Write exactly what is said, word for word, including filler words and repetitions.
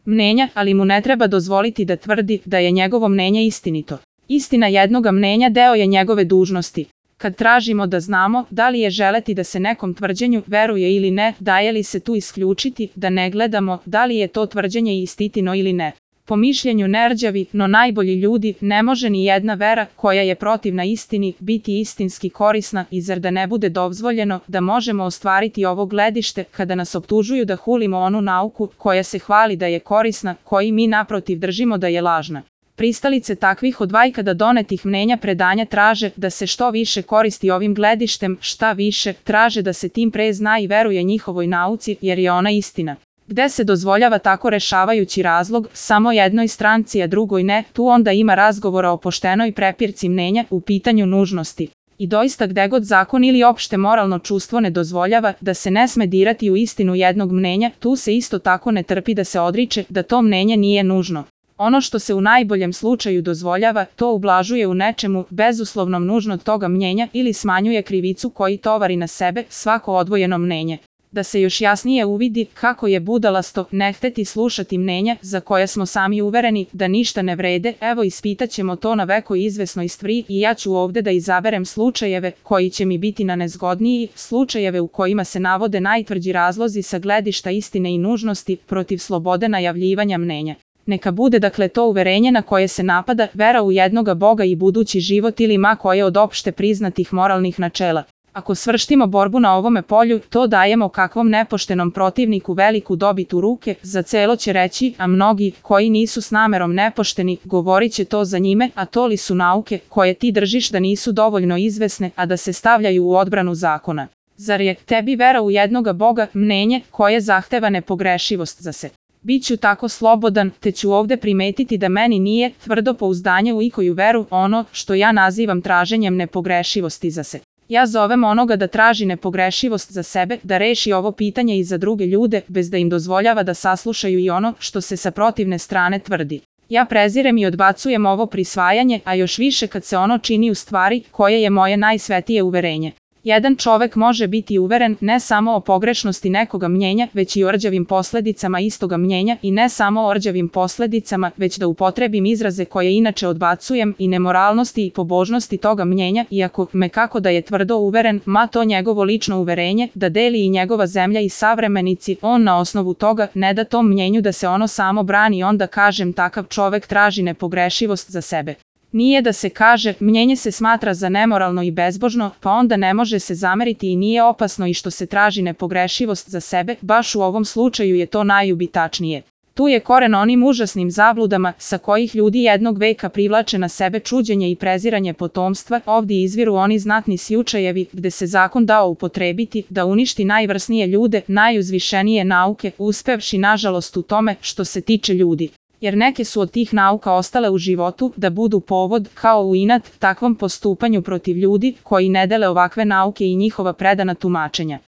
mnenja, ali mu ne treba dozvoliti da tvrdi da je njegovo mnenje istinito. Istina jednoga mnenja deo je njegove dužnosti. Kad tražimo da znamo da li je želeti da se nekom tvrđenju veruje ili ne, daje li se tu isključiti da ne gledamo da li je to tvrđenje istitino ili ne. Po mišljenju nerđavi, no najbolji ljudi, ne može ni jedna vera koja je protivna istini biti istinski korisna i zar da ne bude dozvoljeno da možemo ostvariti ovo gledište kada nas optužuju da hulimo onu nauku koja se hvali da je korisna, koji mi naprotiv držimo da je lažna. Pristalice takvih od vajkada donetih mnenja predanja traže da se što više koristi ovim gledištem, šta više, traže da se tim pre zna i veruje njihovoj nauci jer je ona istina. Gde se dozvoljava tako rešavajući razlog samo jednoj stranci a drugoj ne, tu onda ima razgovora o poštenoj prepirci mnenja u pitanju nužnosti. I doista gde god zakon ili opšte moralno čustvo ne dozvoljava da se ne sme dirati u istinu jednog mnenja, tu se isto tako ne trpi da se odriče da to mnenje nije nužno. Ono što se u najboljem slučaju dozvoljava, to ublažuje u nečemu bezuslovnom nužno toga mnjenja ili smanjuje krivicu koji tovari na sebe svako odvojeno mnenje. Da se još jasnije uvidi kako je budalasto ne hteti slušati mnenja za koja smo sami uvereni da ništa ne vrede, evo ispitaćemo to na veko izvesnoj stvari i ja ću ovde da izaberem slučajeve koji će mi biti na nezgodniji, slučajeve u kojima se navode najtvrđi razlozi sa gledišta istine i nužnosti protiv slobode najavljivanja mnenja. Neka bude dakle to uverenje na koje se napada vera u jednoga Boga i budući život ili ma koje od opšte priznatih moralnih načela. Ako svrštimo borbu na ovome polju, to dajemo kakvom nepoštenom protivniku veliku dobit u ruke, za celo će reći, a mnogi, koji nisu s namerom nepošteni, govorit će to za njime, a to li su nauke, koje ti držiš da nisu dovoljno izvesne, a da se stavljaju u odbranu zakona. Zar je tebi vera u jednoga Boga mnenje koje zahteva nepogrešivost za se? Biću tako slobodan, te ću ovde primetiti da meni nije tvrdo pouzdanje u ikoju veru ono što ja nazivam traženjem nepogrešivosti za se. Ja zovem onoga da traži nepogrešivost za sebe, da reši ovo pitanje i za druge ljude, bez da im dozvoljava da saslušaju i ono što se sa protivne strane tvrdi. Ja prezirem i odbacujem ovo prisvajanje, a još više kad se ono čini u stvari koje je moje najsvetije uverenje. Jedan čovek može biti uveren ne samo o pogrešnosti nekoga mnjenja, već i o rđavim posledicama istoga mnjenja i ne samo o rđavim posledicama, već da upotrebim izraze koje inače odbacujem i nemoralnosti i pobožnosti toga mnjenja, iako me kako da je tvrdo uveren, ma to njegovo lično uverenje, da deli i njegova zemlja i savremenici, on na osnovu toga ne da tom mnjenju da se ono samo brani, onda kažem takav čovek traži nepogrešivost za sebe. Nije da se kaže, mnjenje se smatra za nemoralno i bezbožno, pa onda ne može se zameriti i nije opasno i što se traži nepogrešivost za sebe, baš u ovom slučaju je to najubitačnije. Tu je koren onim užasnim zabludama sa kojih ljudi jednog veka privlače na sebe čuđenje i preziranje potomstva, ovdje izviru oni znatni slučajevi gde se zakon dao upotrebiti da uništi najvrsnije ljude, najuzvišenije nauke, uspevši nažalost u tome što se tiče ljudi. Jer neke su od tih nauka ostale u životu da budu povod, kao u inat, takvom postupanju protiv ljudi koji ne dele ovakve nauke i njihova predana tumačenja.